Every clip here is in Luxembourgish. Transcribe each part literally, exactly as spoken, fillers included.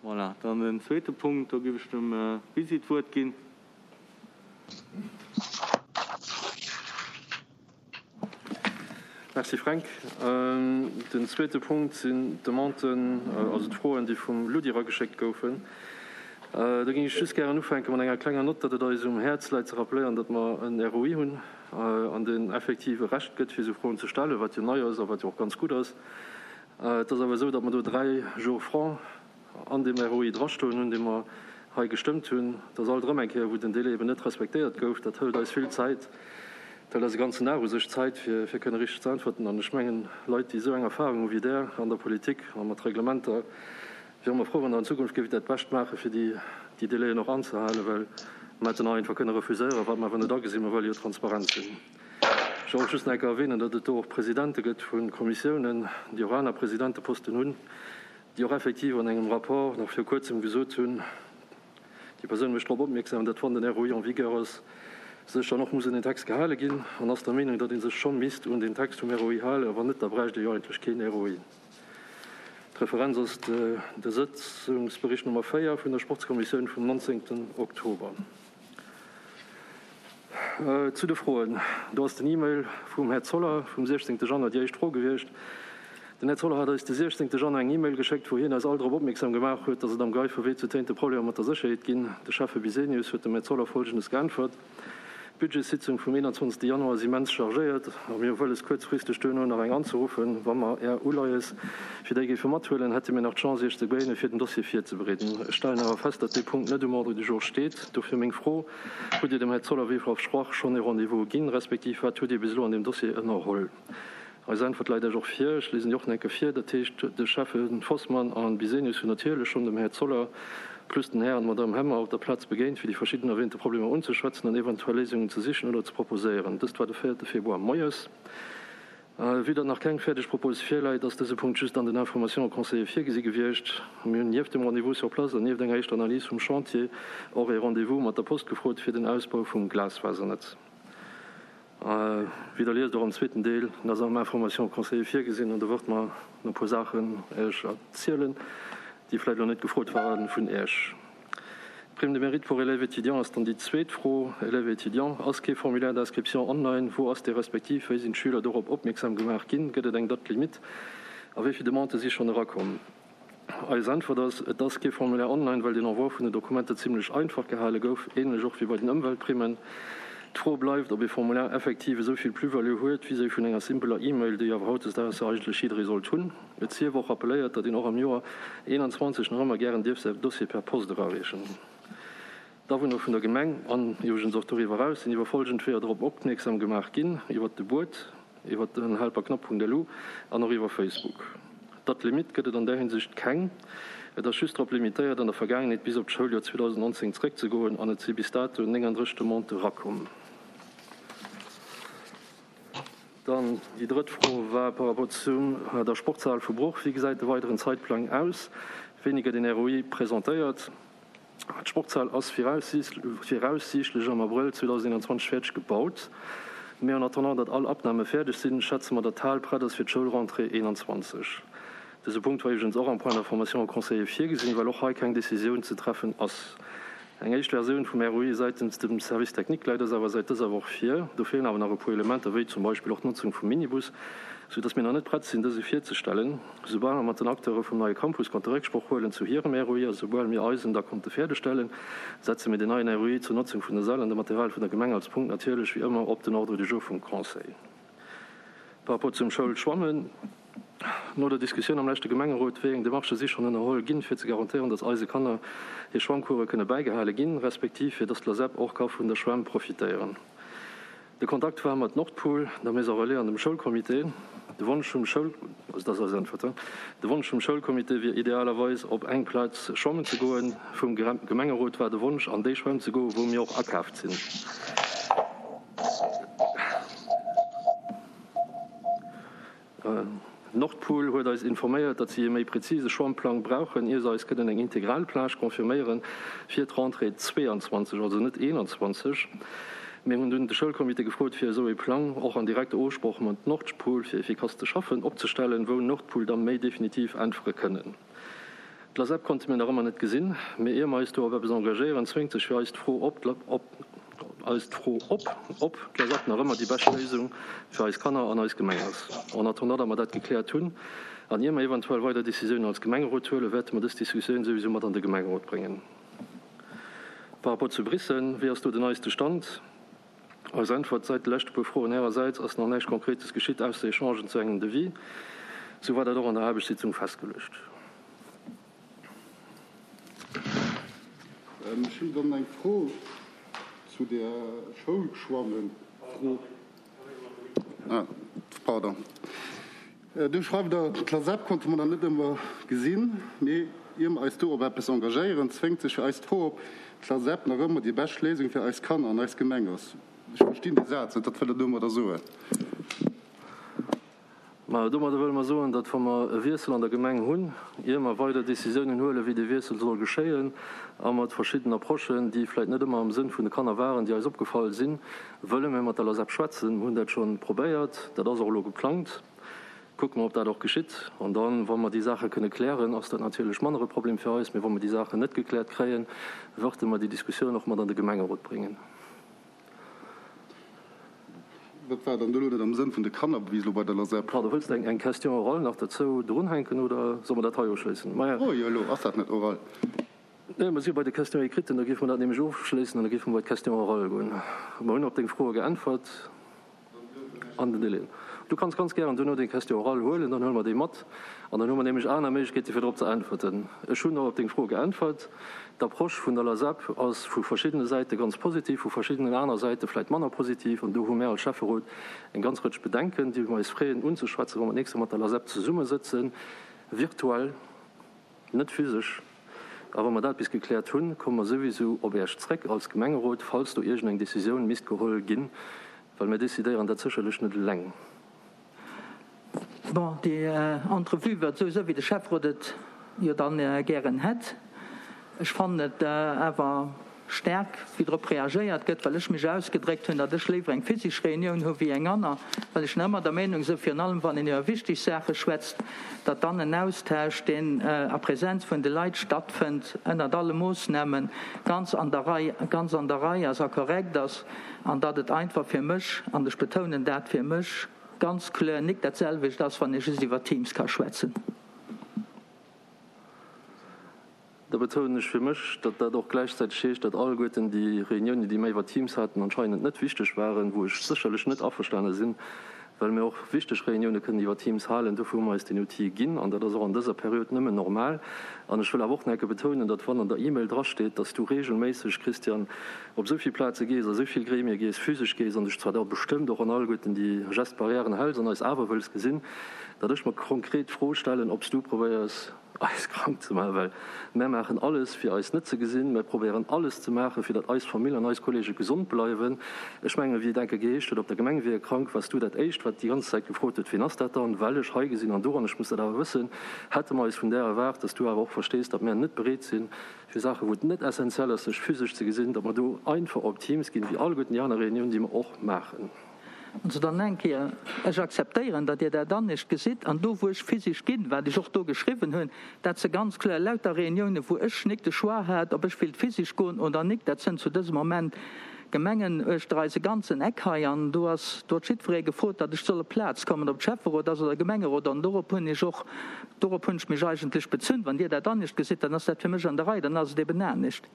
Voilà, dann den zweete Punkt, do géif ech dem Bisi d'Wuert ginn. Merci Fränk. Den zweete Punkt sinn d'Demanden, also d'Froen, déi vum Ludi erageschéckt goufen. Do géing ech just gären ufänke mat enger klenger Nott, datt et eis um Häerz läit ze rappelléieren, datt mer en R O I hunn an deen effektiv e Recht gëtt, fir esou Froen ze stellen, wat jo nei ass a wat jo och ganz gutt ass. Et ass awer esou, datt mer do dräi Jours francs an deem R O I drastoen hunn, dee mer hei gestëmmt hunn. Et ass alt erëm eng Kéier, wou den Délai eben net respektéiert gouf. Dat hëlt eis vill Zäit, dat hëlt eis e ganzen Dag u sech Zäit, fir, fir kënne richteg ze äntwerten. An ech mengen, Leit, déi esou eng Erfahrung hu wéi Der an der Politik a mat Reglementer, wiere mer frou, wann Der an Zukunft géift dat Bescht maachen, fir déi, déi Délaien och anzehalen, well mer hätten och einfach kënne refuséieren, wat mer awer net agesinn, mer wëlle jo transparent sinn. Ech wëll och just nach eng Kéier erwähnen, datt et do och Presidente gëtt vu Kommissiounen, déi och aner Presidenteposten hunn, déi och effektiv an engem Rapport nach viru Kuerzem gesot hunn, déi Persoun mécht drop opmierksam, datt wann den R O I en vigueur ass, sech dann och muss un den Text gehale ginn, an ass der Meenung, datt ee sech scho misst un den Text vum R O I halen, a wann net, da bräicht ee jo eigentlech keen R O I. D'Referenz ass de Sëtzungsbericht Nummer véier vun der Sportskommissioun vum nonzéngten Oktober. Zu de Froen, Do ass den E-Mail vum Här Zoller vum siechzéngte Januar déi éischt Fro gewiescht. Den Här Zoller hat eis de siechzéngte Januar eng E-Mail geschéckt, wou hien eis all drop opmierksam gemaach huet, datt et am Geiferwee zu Téinte Problemer mat der Sécherheet ginn. De Schäffe Bisenius huet dem Här Zoller Folgendes geäntwert, D'Budgetssitzung vum eenanzwanzegste Januar ass immens chargéiert a mir hu wëlles kuerzfristeg duerno nach eng anzeruffen. Wa mer Är Uleies fir déi géife mathuelen, hätte mir nach d'Chance Iech ze begéinen, fir den Dossier virzebereeden. Ech stellen awer fest, datt dee Punkt net um Ordre du jour steet. Dofir meng Fro, Hutt Dir dem Här Zoller wéi versprach schonn ee Rendez-vous ginn, respektiv wat hutt Dir bis elo an deem Dossier ënnerholl? Eis Äntwert läit Iech och vir. Ech liesen déi och nach eng Kéier vir. Dat heescht, de Schäffe Vosman a Bisenius hunn natierlech schonn dem Här Zoller plus den Här an d'Madame Hemmer op der Plaz begéint, fir déi verschidden erwähnte Problemer unzeschwätzen an eventuell Léisungen ze sichen oder ze proposéieren. Dëst war de véierte Februar moies. Vue datt nach keng fäerdeg Propose virläit, ass dëse Punkt just an den Informations au conseiller virgesi gewiescht. Mir hunn nieft dem Rendez-vous sur place an nieft enger éischter Analys vum Chantier och ee Rendez-vous mat der Post gefrot fir den Ausbau vum Glasfasernetz. Wéi Der liest, och am zweeten Deel, dat ass am Informations au conseiller virgesinn, an do wërt mer nach e puer Saachen Iech erzielen, déi vläicht elo net gefrot waren vun Iech. D'Prime de mérite pour élèves étudiants ass dann déi zweet Fro. Élèves étudiants, ass kee Formulaire d'inscription online? Wou ass dee respektiv wéi sinn d'Schüler dorop opmierksam gemaach ginn? Gëtt et eng Date limite? A wéi vill Demandë si schonn erakomm? Eis Äntwert ass, Et ass kee Formulaire online, well den Envoi vun den Dokumenter zimlech einfach gehale gouf, ähnlech och wéi bei den Ëmweltprimmen. D'Fro bleift, ob ee Formulaire effektiv esou vill Plus-value huet vis-à-vis vun enger simpeler E-Mail, déi awer hautdesdaags jo eigentlech jidderee sollt hunn. Et sief och rappelléiert, datt een och am Joer eenanzwanzeg nach ëmmer gären dierf säi Dossier per Post erareechen. D'Awunner vun der Gemeng, an iwwregens och doriwwer eraus, sinn iwwer folgend Weeër drop opmierksam gemaach ginn, iwwert de Buet, iwwert den helperknapp Punkt L U an och iwwer Facebook. Date limite gëtt et an där Hinsicht keng. Et ass just drop limitéiert, an der Vergaangenheet bis op d'Schouljoer zweedausendnonzéng zréckzegoen, an et si bis dato nénganddrësseg Demandë erakomm. Dann déi drëtt Fro war par rapport zu der Sportshal vu Bruch. Wéi gesäit de weideren Zeitplang aus? Wéini gëtt een R O I presentéiert? D'Sportshal ass viraussiichtlech am Abrëll zweedausendeenanzwanzeg fäerdeg gebaut. Mee en attendant, datt all Abnahme fäerdeg sinn, schätze mer, datt d'Hal prett ass fir d'Schoulrentrée eenanzwanzeg. Dëse Punkt war iwwregens och am Point d'information au conseiller virgesinn, well och hei keng Decisioun ze treffen ass. Eng éischt Versioun vum R O I säitens dem Service technique läit eis awer säit dëser Woch vir. Do feelen awer nach e puer Elementer, wéi zum Beispill och d'Notzung vum Minibus, sou datt mir nach net prett sinn, dëse virzestellen. Soubal mer mat den Acteure vum neie Campus konnte Récksproch huelen zu hirem R O I a soubal mir eisen da konnte fäerdegstellen, setze mir den neien R O I zur Notzung vun der Säll an dem Material vun der Gemeng als Punkt natierlech wéi ëmmer op den Ordre du jour vum Conseil. Par rapport zum Schoulschwammen, No der Diskussioun am leschte Gemengerot, wéi eng Demarchë si schonn ënnerholl ginn, fir ze garantéieren, datt eise Kanner hir Schwammcourse kënne bäigehale ginn, respektiv fir datt d'LASEP och ka vun der Schwämm profitéieren? De Kontakt war mat Nordpool, der Maison Relais an dem Schoulcomité. De Wonsch vum Schoul, also dat ass eis Äntwert, de Wonsch vum Schoulcomité wier idealerweis op eng Plaz schwammen ze goen. Vum Gemengerot war de Wonsch an déi Schwämm ze goen, wou mir och akaaft sinn. Nordpool huet eis informéiert, datt si e méi präzise Schwammplang brauchen, ier se eis kënnen eng integral Plage confirméieren fir d'Rentrée zweeanzwanzeg, also net eenanzwanzeg. Mir hunn dunn de Schoulcomité gefrot, fir esou ee Plang, och an direkter Ofsproch mat Nordpool, fir efficace ze schaffen, opzestellen, wou Nordpool da méi definitiv äntwere kënnen. D'LASEP konnte mir nach ëmmer net gesinn, mee ier mer eis do op eppes engagéieren, zwéngt sech fir eis d'Fro op, op eis d'Fro op, ob d'LASEP nach ëmmer déi bescht Léisung fir eis Kanner an eis Gemeng ass. En attendant, datt mer dat gekläert hunn an ier mer eventuell weider Decisiounen als Gemengerot huelen, wäerte mer dës Diskussioun souwisou mat an de Gemengerot bréngen. Par rapport zu Biissen, wéi ass do den neiste Stand? Eis Äntwert, Säit de leschte puer Froen Ärersäits ass nach näischt Konkretes geschitt, ausser Echangen zu engem Devis. Sou war dat och an der Aarbechtssitzung festgeluecht. Ech hunn dann eng Fro zu der Schoulschwammen-Fro. Ah, pardon. Du schreift Der, D'LASEP konnte mer nach net ëmmer gesinn, mee ier mer eis do op eppes engagéieren, zwéngt sech fir eis d'Fro, ob d'LASEP nach ëmmer déi bescht Léisung fir eis Kanner an eis Gemeng ass. Ech verstinn dee Saz net. Wat wëllt Der domadder soen? Ma domadder wëlle mer soen, datt wa mer e Wiessel an der Gemeng hunn, ier mer weider Décisiounen huelen, wéi dee Wiessel soll geschéien, a mat verschidden Approchen, déi vläicht net ëmmer am Sënn vun de Kanner waren, déi eis opgefall sinn, wëlle mir mat der LASEP schwätzen. Mir hunn dat scho probéiert, dat ass och elo geplangt. Kucke mer, ob dat och geschitt. An dann, wa mer déi Saache kënne klären, ass dat natierlech manner e Problem fir eis. Mee wa mer déi Saachen net gekläert kréien, wërte mer déi Diskussioun och mat an de Gemengerot bréngen. Wat war dann do elo net am Sënn vun de Kanner, wéi elo bei der LASEP? Pardon, wëlls de eng Question orale nach derzou drunhänken oder solle mer dat hei ofschléissen? Maja. Oh jo, elo ass dat net oral. Nee, mer si jo bei de Questions écrites, da géife mer dat nämlech ofschléissen an da géife mer bei d'Question orale goen. Mer hunn op deng Froe geäntwert an den Délaiën. Du kanns ganz gären duerno deng Question orale huelen, dann huele mer déi mat an dann hu mer nämlech aner Méiglechkeete fir drop ze äntwerten. Ech hunn och op deng Fro geäntwert. D'Approche vun der LASEP ass vu verschiddene Säite ganz positiv, vu verschiddenen aner Säite vläicht manner positiv. An do hu mär als Schäfferot eng ganz Rëtsch Bedenken, déi mer eis freeën unzeschwätzen, wa mer d'nächst Joer mat der LASEP zesummesëtzen, virtuell, net physesch. A wa mer dat bis gekläert hunn, komme mer souwisou op Äech zréck als Gemengerot, falls do iergendeng Decisioun misst geholl ginn, well mir decidéieren dat sécherlech net eleng. Bon, déi Entrevue war esou, wéi de Schäfferot et jo dann gären hätt. Ech fannen et awer staark, wéi drop reagéiert gëtt, well ech mech ausgedréckt hunn, datt ech léiwer eng physisch Reunioun hu wéi eng aner, well ech nach ëmmer der Meenung sinn, virun allem wann een iwwer wichteg Saache schwätzt, datt dann en Austausch, deen a Präsenz vun de Leit stattfënnt, ënnert alle Moossnamen, ganz an der Rei, ganz an der Rei ass a korrekt ass an datt et einfach fir mech, an ech betounen dat, fir mech ganz kloer nik dat selwecht ass, wann ee just iwwer Teams ka schwätzen. Da betounen ech fir mech, datt dat och gläichzäiteg heescht, datt alleguerten déi Reuniounen, déi mir iwwer Teams haten, anscheinend net wichteg waren, wou ech sécherlech net averstane sinn, well mir och wichteg Reunioune kënnen iwwer Teams halen. Dofir hu mer eis deen Outil ginn an dat ass och an dëser Period nëmmen normal. An ech wëll awer och nach eng Kéier betounen, datt wann an der E-Mail drasteet, datt s du regelméisseg, Christian, op esou vill Plaze gees, a esou vill Gremie gees, physesch gees an dech zwar da bestëmmt och an alleguerten déi Gestes barrièren häls an eis awer wëlls gesinn, datt ech mer konkret d'Fro stellen, ob s du probéiers, eis krank ze maachen, well mär maachen alles, fir eis net ze gesinn. Mär probéieren alles ze maachen, fir datt eis Famill an eis Kollege gesond bleiwen. Ech mengen, wéi et enke geheescht huet, op der Gemeng wier e krank, waars du dat Éischt, wat déi ganz Zäit gefrot huet, Wien ass dat dann? Well ech hei gesinn an do, an ech muss dat awer wëssen, hätte mer eis vun där erwaart, datt du awer och verstees, datt mär net bereet sinn, fir Saachen, wou et net essentiell ass, sech physesch ze gesinn, datt mer do einfach op Teams ginn, wéi alleguerten déi aner Reuniounen, déi mer och maachen. Also dann eng Kéier, ech akzeptéieren, datt Dir dat anescht gesitt. An do, wou ech physisch ginn, wat ech och do geschriwwen hunn, dat se ganz kloer lauter Reuniounen, wou ech nik de Choix hat, ob ech wéilt physisch goen oder nik, dat sënn zu dësem Moment Gemengen uechter eise ganzen Eck hei. An do ass, do huet jiddweree gefrot, datt ech soll op d'Plaz kommen, ob et Schäfferot ass oder Gemengerot. An dorop hunn ech och, dorop hunn ech mech eigentlech bezunn. Wann Dir dat anescht gesitt, dann ass dat fir mech an der Rei, dann ass et eben anescht.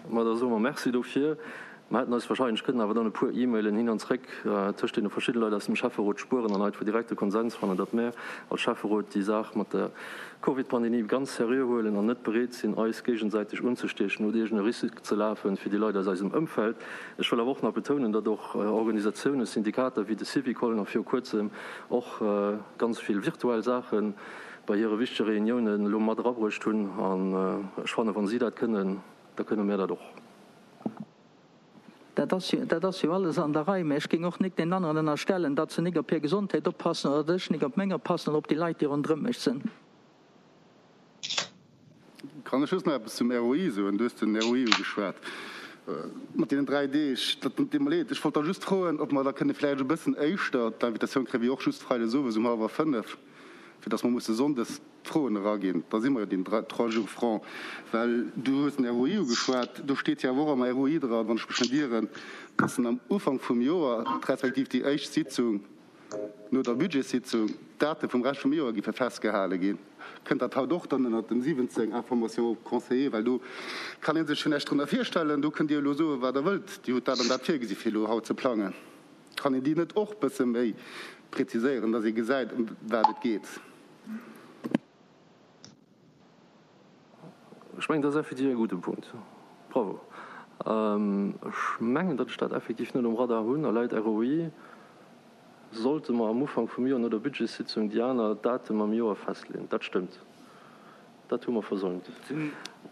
Ma da soe mer Merci dofir. Mer hätten eis wahrscheinlech kënnen awer dann e puer E-Mailen hin an zréck tëscht deene verschidde Leit aus dem Schäfferot spueren an einfach direkt de Konsens fannen, datt mär als Schäfferot déi Saach mat der Covid-Pandemie ganz seriö huelen an net bereet sinn, eis géigesäiteg unzestiechen oder iergend e Risque ze lafe fir déi Leit aus eisem Ëmfeld. Ech wëll awer och nach betounen, datt och Organisatiounen, Syndikater wéi de Syvicol nach viru Kuerzem och ganz vill virtuell Saache bei hire wichtege Reuniounen elo mat erabruecht hunn. An ech fannen, wa si dat kënnen, da kënne mär dat och. Dat ass jo, dat ass jo alles an der Rei. Mä ech géing och nik deenen aneren ënnerstellen, datt se nik op hir Gesondheet oppassen oder datt ech nik op meng oppassen oder op déi Leit, déi ronderëm mech sinn. Kann ech just nach eppes zum R O I soen? Du hues den R O I ugeschwat mat deenen dräi Deeg. Dat deet mer leed. Ech wollt da just froen, ob mer da kënne vläicht e bëssen éischter d'Invitatioun kréien, wéi och just freides owes um hallwer fënnef. fir dass mer musse sonndes d'Froen eraginn. Da si mer jo deen trois jours francs. Well du hues den R O I ugeschwat, do steet jo awer och am R O I dran, wann ech mech net ieren, dass en am Ufank vum Joer, respektiv déi éischt Sitzung no der Budgetssitzung, d'Date vum Rescht vum Joer géife festgehale ginn. Kënnt dat haut och dann ënnert dem siwwenzéng Information aux conseillers? Well do kann ee sech jo näischt drënner virstellen. Do kënnt Dir elo soen, wat Der wëllt. Dir hutt dat an dat virgesi fir elo haut ze plangen. Kann een déi net och bësse méi präziséieren, dass ee gesäit, ëm wat et geet? Ech mengen, dat ass effektiv e gudde Punkt. Bravo. Ech mengen, datt ech dat effektiv net um Radar hunn. A laut R O I sollte mer am Ufank vum Joer no der Budgetssitzung déi aner Datum am Joer festleeën. Dat stëmmt. Dat hu mer versäumt.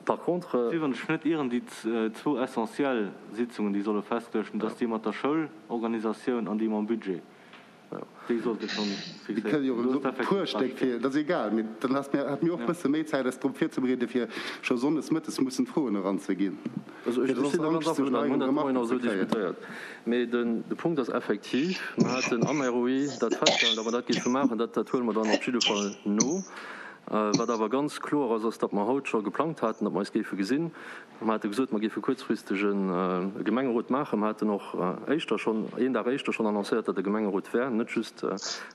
Par contre. Si, wann ech net ieren, déi zwou essentiell Sitzungen, déi solle festgeluecht ginn, dat ass déi mat der Schoulorganisatioun an déi mam Budget. Déi sollte schonn Mir kënnen jo fixéiert och e puer Stéck fir, dat ass egal, mee dann hätt mir hätt mir och e bësse méi Zäit eis drop virzebereeden, fir scho sonndes mëttes mussen d'Froen eranzeginn, Also fir ech soss sinn do ganz Angscht zu averstanen, mir hunn neigen dat de Moien Remarken och ze esou kréien. diskutéiert. Mee den de Punkt ass effektiv, mer haten am R O I dat festgehalen, datt mer dat géife maachen. Dat dat huele mer dann op jidde Fall no. Wat awer ganz kloer ass, ass, datt mer haut scho geplangt haten, datt mer eis géife gesinn. Mer hate gesot, mer géife kuerzfristeg e Gemengerot maachen. Mer haten och éischter schonn, een Dag éischter schonn annoncéiert, datt e Gemengerot wär, net just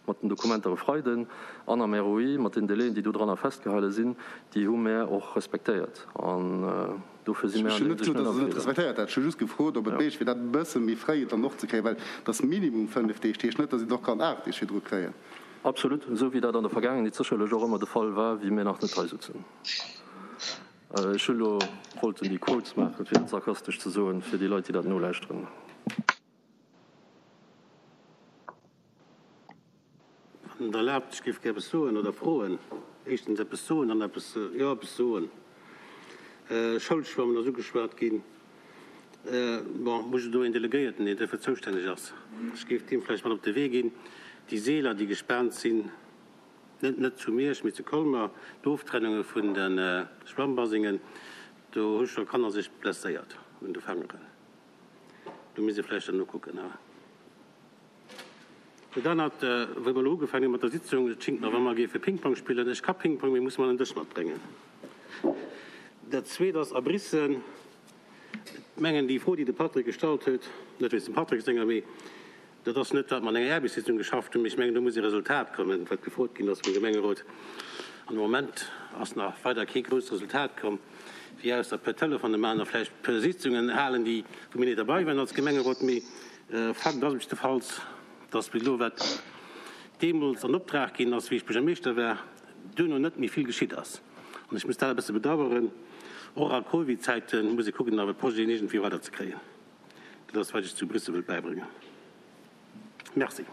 mat den Dokumenter e Freiden an am R O I, mat den Délaiën, déi do dranner festgehale sinn, déi hu mär och respektéiert. An dofir si mär Ech an hunn där net Hinsicht gesot, net datt am Der se net Feeler. respektéiert hätt. Ech hu just gefrot, ob et méiglech wier, dat e bësse méi fréi dann och ze kréien, well et ass minimum fënnef Deeg. Dat heescht net, datt een et och kann aacht Deeg virdru kréien. Absolut, esou wéi dat an der Vergaangenheet sécherlech och ëmmer de Fall war, wéi mir nach net hei sutzen. Ech hu lo wollten déi Quotes maachen, fir et sarkastesch ze soen, fir déi Leit, déi dat nolauschteren. Wann Der erlaabt, ech géif gär eppes soen oder froen. Éischtens eppes soen, dann eppes, jo, eppes soen. Schoulschwammen ass ugeschwat ginn. Bon, muss ech do een Delegéierten, deen duerfir zoustänneg ass. Ech géif deem vläicht mat op de Wee ginn, déi Seeler, déi gespaant sinn, net net zu Miersch, mee zu Colmer, d'Oftrennunge vun de Schwammbasengen, do hu scho Kanner sech blesséiert un de Fangeren. Do misst ee vläicht dann nokucken. Dat anert, wou mer elo ugefaangen hu mat der Sitzung, et schingt mer, wa mer géife Ping-Pong spillen, ech ka Ping-Pong, mee muss mer en Dësch matbréngen. Dat Zweet ass Abrissen. Ech mengen, déi Fro, déi de Patrick gestallt huet, net wéinst dem Patrick senger, mee dat ass net, wat mer an enger Aarbechtssitzung geschafft hunn, mee ech mengen, do muss e Resultat kommen, wat gefrot ginn ass vum Gemengerot. An de Moment ass nach weider kee grousst Resultat komm, wéi ausser e puer Telefonen maachen a vläicht e puer Sitzungen halen, déi, wou mir net derbei waren als Gemengerot. Mee Fakt ass jiddefalls, dass bis elo, wat deemools an Optrag ginn ass, wéi ech Buergermeeschter war, duerno net méi vill geschitt ass. An ech muss dat e bësse bedauern. Och a Covid-Zäite muss ee kucken, awer d'Projeten iergendwéi weiderzekréien. Dat ass, wat ech zu Bréissel wëllt bäibréngen. Merci.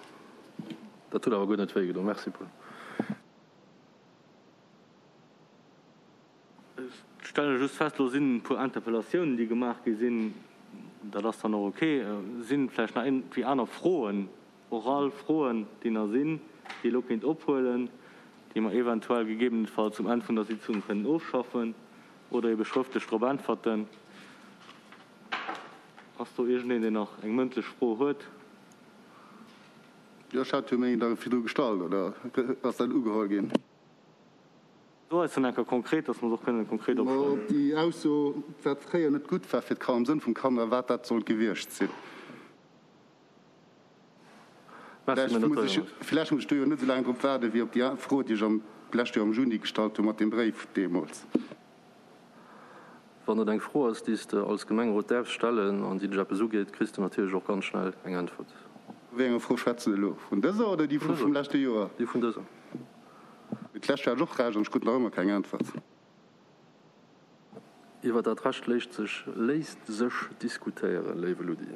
Dat huet awer guer net wéigedoen. Merci, Paul. Ech stelle just fest, elo sinn e puer Interpellatiounen, déi gemaach gi sinn. Dat ass dann och ok. Sinn vläicht nach iergendwéi aner Froen, oral Froen, déi nach sinn, déi ee elo kéint ophuelen, déi mer eventuell gegebenenfalls um Enn vun der Sitzung kënnen ofschaffen oder ebe schrëftlech drop äntwerten? Ass do iergendeen, deen nach eng mëndlech Fro huet? Jo, ech hat jo meng da virdru gestallt, oder ass dat ugeholl ginn? So eis dann enker konkret, dass mer se och kënnen konkret Ma opschreiwen. op déi Ausso, wat fréier net gutt war fir d'Kanner, am Sënn vum Kanner, wat dat sollt gewiescht sinn. Merci, Vläicht mir muss ech, notéieren et. vläicht muss ech do jo net esou laang drop waarden, wéi op déi Fro, déi ech am d'lescht Joer am Juni gestallt hu mat deem Bréif deemools. Wann et eng Fro ass, déi s de als Gemengerot däerfs stellen an déi dech eppes ugeet, kriss de natierlech och ganz schnell eng Äntwert. Vu wéi enger Fro schwätze de elo? Vun dëser oder déi Vun vu vum dëser. leschte Joer? Déi vun dëser. Mee d'lescht Joer hat ech och Recht an ech krut nach ëmmer keng Äntwert. Iwwer dat Recht léisst sech, léisst sech diskutéieren, léiwe Ludi.